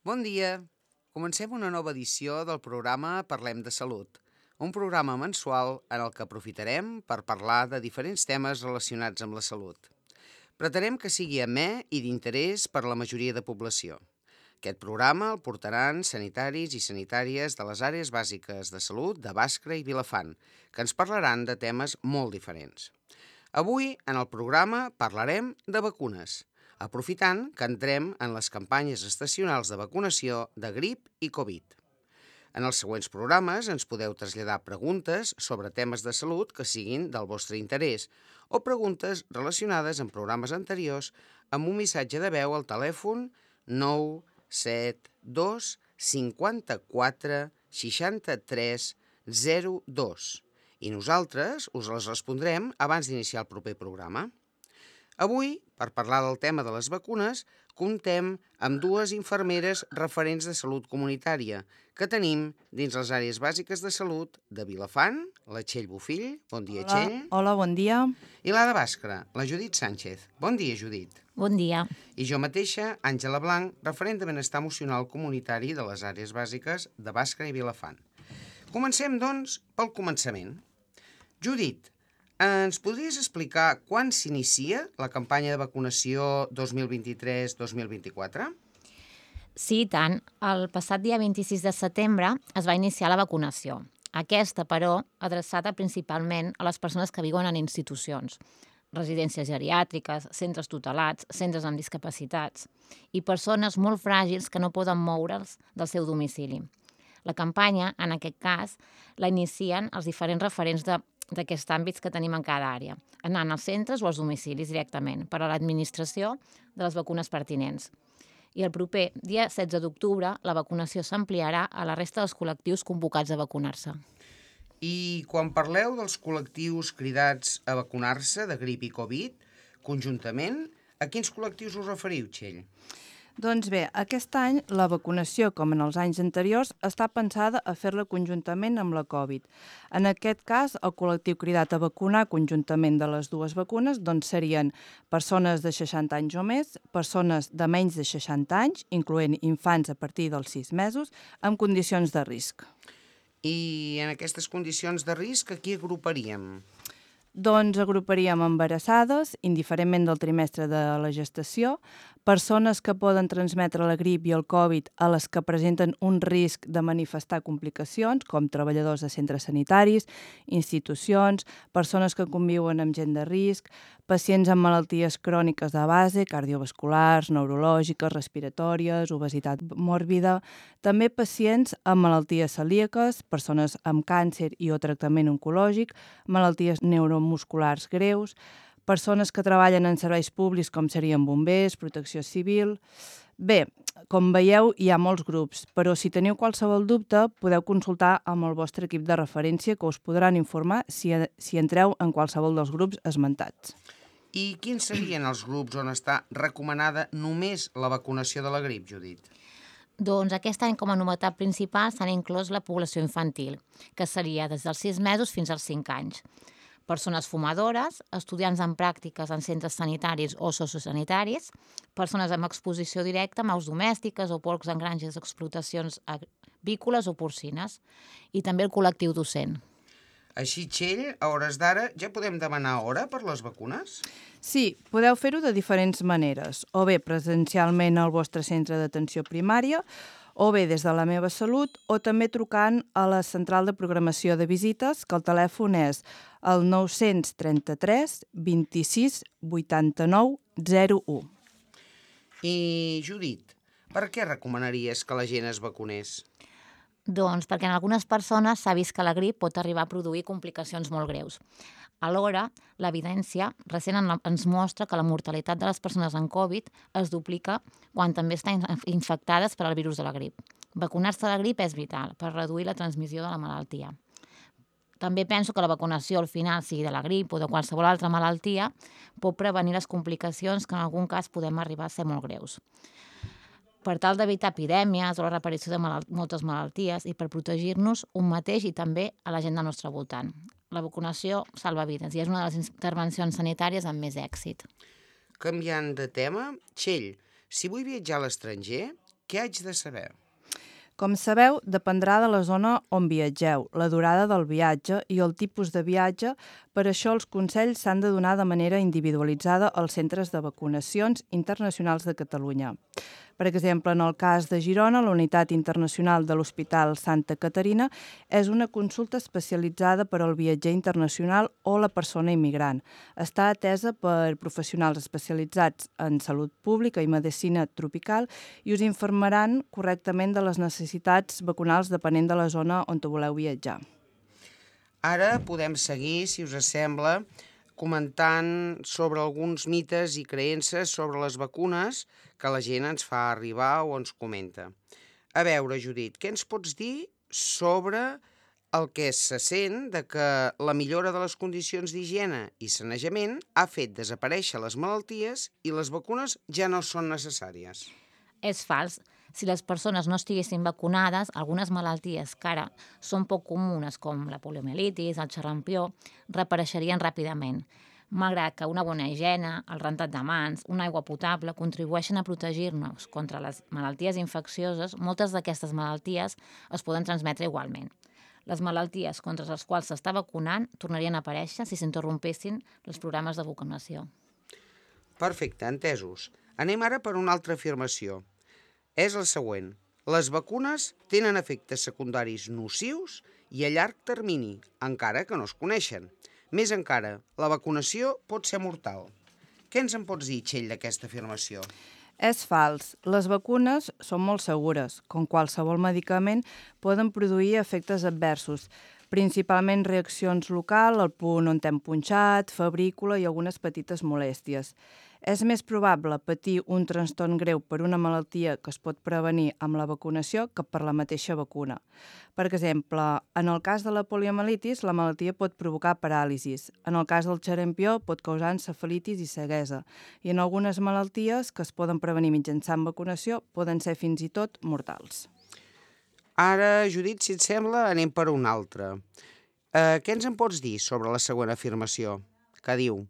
Bon dia! Comencem una nova edició del programa Parlem de Salut, un programa mensual en el que aprofitarem per parlar de diferents temes relacionats amb la salut. Pretenem que sigui amè i d'interès per a la majoria de població. Aquest programa el portaran sanitaris i sanitàries de les àrees bàsiques de salut de Bàscara i Vilafant, que ens parlaran de temes molt diferents. Avui, en el programa, parlarem de vacunes, aprofitant que entrem en les campanyes estacionals de vacunació de grip i Covid. En els següents programes ens podeu traslladar preguntes sobre temes de salut que siguin del vostre interès o preguntes relacionades amb programes anteriors amb un missatge de veu al telèfon 972 54 63 02 i nosaltres us les respondrem abans d'iniciar el proper programa. Avui, per parlar del tema de les vacunes, comptem amb dues infermeres referents de salut comunitària que tenim dins les àrees bàsiques de salut de Vilafant, la Txell Bofill, bon dia Txell, Hola, bon dia. i la de Bàscara, la Judit Sánchez. Bon dia, Judit. Bon dia. I jo mateixa, Àngela Blanc, referent de benestar emocional comunitari de les àrees bàsiques de Bàscara i Vilafant. Comencem, doncs, pel començament. Judit, ens podries explicar quan s'inicia la campanya de vacunació 2023-2024? Sí, i tant. El passat dia 26 de setembre es va iniciar la vacunació. Aquesta, però, adreçada principalment a les persones que viuen en institucions, residències geriàtriques, centres tutelats, centres amb discapacitats i persones molt fràgils que no poden moure's del seu domicili. La campanya, en aquest cas, la inicien els diferents referents d'aquests àmbits que tenim en cada àrea, anant als centres o als domicilis directament, per a l'administració de les vacunes pertinents. I el proper dia 16 d'octubre la vacunació s'ampliarà a la resta dels col·lectius convocats a vacunar-se. I quan parleu dels col·lectius cridats a vacunar-se de grip i Covid, conjuntament, a quins col·lectius us referiu, Txell? Doncs bé, aquest any la vacunació, com en els anys anteriors, està pensada a fer-la conjuntament amb la Covid. En aquest cas, el col·lectiu cridat a vacunar conjuntament de les dues vacunes doncs serien persones de 60 anys o més, persones de menys de 60 anys, incloent infants a partir dels 6 mesos, amb condicions de risc. I en aquestes condicions de risc, a qui agruparíem? Doncs agruparíem embarassades, indiferentment del trimestre de la gestació, persones que poden transmetre la grip i el Covid a les que presenten un risc de manifestar complicacions, com treballadors de centres sanitaris, institucions, persones que conviuen amb gent de risc, pacients amb malalties cròniques de base, cardiovasculars, neurològiques, respiratòries, obesitat mòrbida, també pacients amb malalties celíaques, persones amb càncer i o tractament oncològic, malalties neuromusculars greus, persones que treballen en serveis públics com serien bombers, protecció civil. Bé, com veieu, hi ha molts grups, però si teniu qualsevol dubte podeu consultar amb el vostre equip de referència que us podran informar si entreu en qualsevol dels grups esmentats. I quins serien els grups on està recomanada només la vacunació de la grip, Judit? Doncs aquest any, com a novetat principal, s'han inclòs la població infantil, que seria des dels 6 mesos fins als 5 anys. Persones fumadores, estudiants en pràctiques en centres sanitaris o sociosanitaris, persones amb exposició directa a aus domèstiques o porcs en granges d'explotacions avícoles o porcines, i també el col·lectiu docent. Així, Txell, a hores d'ara ja podem demanar hora per les vacunes? Sí, podeu fer-ho de diferents maneres, o bé presencialment al vostre centre d'atenció primària, o bé des de la Meva Salut, o també trucant a la central de programació de visites, que el telèfon és el 933 26 89 01. I, Judit, per què recomanaries que la gent es vacunés? Doncs perquè en algunes persones s'ha vist que la grip pot arribar a produir complicacions molt greus. Alhora, l'evidència recent ens mostra que la mortalitat de les persones amb Covid es duplica quan també estan infectades per al virus de la grip. Vacunar-se de la grip és vital per reduir la transmissió de la malaltia. També penso que la vacunació al final, sigui de la grip o de qualsevol altra malaltia, pot prevenir les complicacions que en algun cas podem arribar a ser molt greus. Per tal d'evitar epidèmies o la reparició de moltes malalties i per protegir-nos un mateix i també a la gent del nostre voltant. La vacunació salva vides i és una de les intervencions sanitàries amb més èxit. Canviant de tema, Txell, si vull viatjar a l'estranger, Què haig de saber? Com sabeu, dependrà de la zona on viatgeu, la durada del viatge i el tipus de viatge. Per això els consells s'han de donar de manera individualitzada als centres de vacunacions internacionals de Catalunya. Per exemple, en el cas de Girona, la Unitat Internacional de l'Hospital Santa Caterina és una consulta especialitzada per al viatger internacional o la persona immigrant. Està atesa per professionals especialitzats en salut pública i medicina tropical i us informaran correctament de les necessitats vacunals depenent de la zona on voleu viatjar. Ara podem seguir, si us sembla, comentant sobre alguns mites i creences sobre les vacunes que la gent ens fa arribar o ens comenta. A veure, Judit, què ens pots dir sobre el que se sent de que la millora de les condicions d'higiene i sanejament ha fet desaparèixer les malalties i les vacunes ja no són necessàries? És fals. Si les persones no estiguessin vacunades, algunes malalties que ara són poc comunes, com la poliomielitis, el xerrampió, reapareixerien ràpidament. Malgrat que una bona higiene, el rentat de mans, una aigua potable contribueixen a protegir-nos contra les malalties infeccioses, moltes d'aquestes malalties es poden transmetre igualment. Les malalties contra les quals s'està vacunant tornarien a aparèixer si s'interrompessin els programes de vacunació. Perfecte, entesos. Anem ara per una altra afirmació. És el següent. Les vacunes tenen efectes secundaris nocius i a llarg termini, encara que no es coneixen. Més encara, la vacunació pot ser mortal. Què ens en pots dir, Txell, d'aquesta afirmació? És fals. Les vacunes són molt segures. Com qualsevol medicament, poden produir efectes adversos, principalment reaccions locals, al punt on t'hem punxat, febrícula i algunes petites molèsties. És més probable patir un trastorn greu per una malaltia que es pot prevenir amb la vacunació que per la mateixa vacuna. Per exemple, en el cas de la poliomielitis, la malaltia pot provocar paràlisis. En el cas del xerrampió pot causar encefalitis i ceguesa. I en algunes malalties que es poden prevenir mitjançant vacunació poden ser fins i tot mortals. Ara, Judit, si et sembla, anem per una altra. Què ens en pots dir sobre la següent afirmació? Que diu: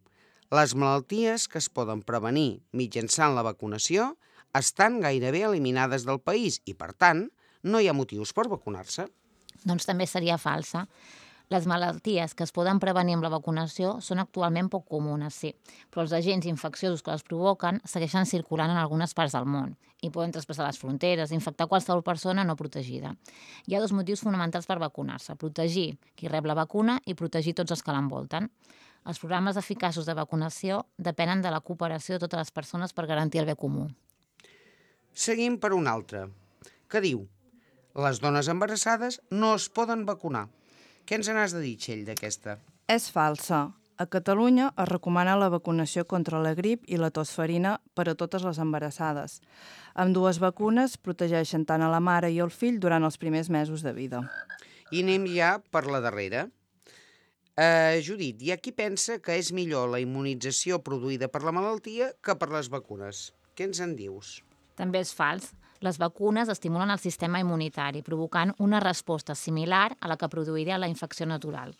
les malalties que es poden prevenir mitjançant la vacunació estan gairebé eliminades del país i, per tant, no hi ha motius per vacunar-se. Doncs també seria falsa. Les malalties que es poden prevenir amb la vacunació són actualment poc comunes, sí, però els agents infecciosos que les provoquen segueixen circulant en algunes parts del món i poden traspassar les fronteres, infectar qualsevol persona no protegida. Hi ha dos motius fonamentals per vacunar-se: protegir qui rep la vacuna i protegir tots els que l'envolten. Els programes eficaços de vacunació depenen de la cooperació de totes les persones per garantir el bé comú. Seguim per una altra, que diu: les dones embarassades no es poden vacunar. Què ens n'has de dir, Txell, d'aquesta? És falsa. A Catalunya es recomana la vacunació contra la grip i la tosferina per a totes les embarassades. Ambdues vacunes protegeixen tant a la mare i el fill durant els primers mesos de vida. I anem ja per la darrera. Judit, hi ha qui pensa que és millor la immunització produïda per la malaltia que per les vacunes. Què ens en dius? També és fals. Les vacunes estimulen el sistema immunitari, provocant una resposta similar a la que produiria la infecció natural,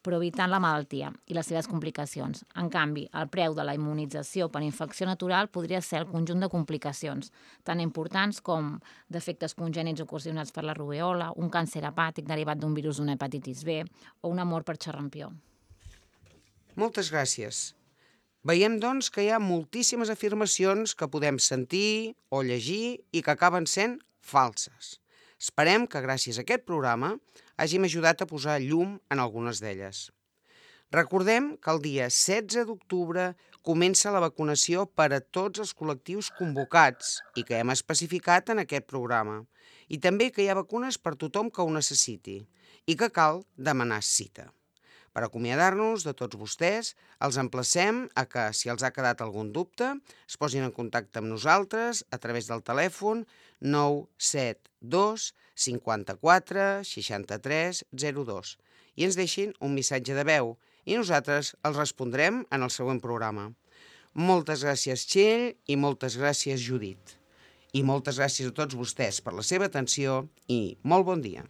però evitant la malaltia i les seves complicacions. En canvi, el preu de la immunització per infecció natural podria ser el conjunt de complicacions, tan importants com defectes congènits ocasionats per la rubèola, un càncer hepàtic derivat d'un virus d'una hepatitis B o una mort per xerrampió. Moltes gràcies. Veiem, doncs, que hi ha moltíssimes afirmacions que podem sentir o llegir i que acaben sent falses. Esperem que gràcies a aquest programa hàgim ajudat a posar llum en algunes d'elles. Recordem que el dia 16 d'octubre comença la vacunació per a tots els col·lectius convocats i que hem especificat en aquest programa. I també que hi ha vacunes per tothom que ho necessiti i que cal demanar cita. Per acomiadar-nos de tots vostès, els emplacem a que, si els ha quedat algun dubte, es posin en contacte amb nosaltres a través del telèfon 972 54 63 02 i ens deixin un missatge de veu i nosaltres els respondrem en el següent programa. Moltes gràcies, Txell, i moltes gràcies, Judit. I moltes gràcies a tots vostès per la seva atenció i molt bon dia.